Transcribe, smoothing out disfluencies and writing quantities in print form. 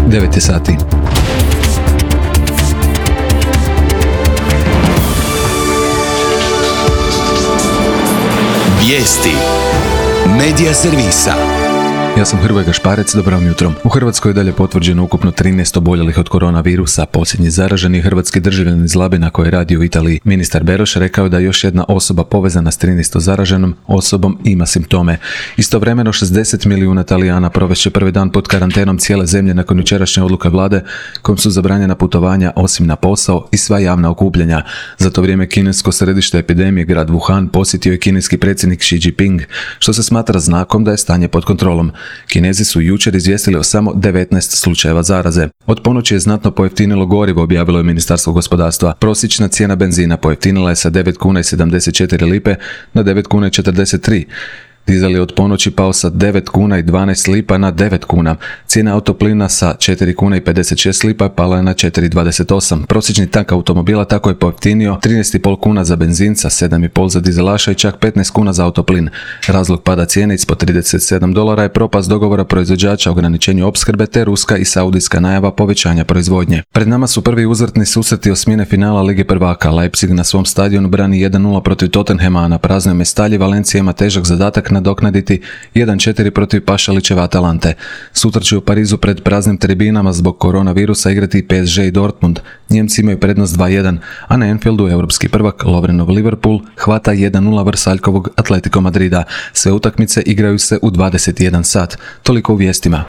9 je sati. Vijesti Medija servisa. Ja sam Hrvoje Gašparec, dobro vam jutro. U Hrvatskoj je dalje potvrđeno ukupno 13 oboljelih od koronavirusa. Posljednji zaraženi hrvatski državljanin iz Labina koji radi u Italiji. Ministar Beroš rekao da još jedna osoba povezana s 13 zaraženom osobom ima simptome. Istovremeno 60 milijuna Talijana provešće prvi dan pod karantenom cijele zemlje nakon jučerašnje odluke vlade kojom su zabranjena putovanja osim na posao i sva javna okupljanja. Za to vrijeme kinesko središte epidemije, grad Wuhan, posjetio je kineski predsjednik Xi Jinping, što se smatra znakom da je stanje pod kontrolom. Kinezi su jučer izvijestili o samo 19 slučajeva zaraze. Od ponoći je znatno pojeftinilo gorivo, objavilo je Ministarstvo gospodarstva. Prosječna cijena benzina pojeftinila je sa 9 kuna i 74 lipe na 9 kuna i 43. Dizel je od ponoći pao sa 9 kuna i 12 lipa na 9 kuna. Cijena autoplina sa 4 kuna i 56 lipa pala je na 4,28. Prosječni tank automobila tako je pojeftinio 13,5 kuna za benzin, sa 7,5 za dizelaša i čak 15 kuna za autoplin. Razlog pada cijene ispod $37 je propast dogovora proizvođača o ograničenju opskrbe te ruska i saudijska najava povećanja proizvodnje. Pred nama su prvi uzvratni susreti osmine finala Lige prvaka. Leipzig na svom stadionu brani 1:0 protiv Tottenhema, a na praznoj Mestalji Valencija ima težak zadatak nadoknaditi 1:4 protiv Pašalićeve Atalante. Sutra će u Parizu pred praznim tribinama zbog koronavirusa igrati PSG i Dortmund. Njemci imaju prednost 2:1, a na Anfieldu europski prvak Lovrenov Liverpool hvata 1:0 Vrsaljkovog Atletico Madrida. Sve utakmice igraju se u 21 sat. Toliko u vijestima.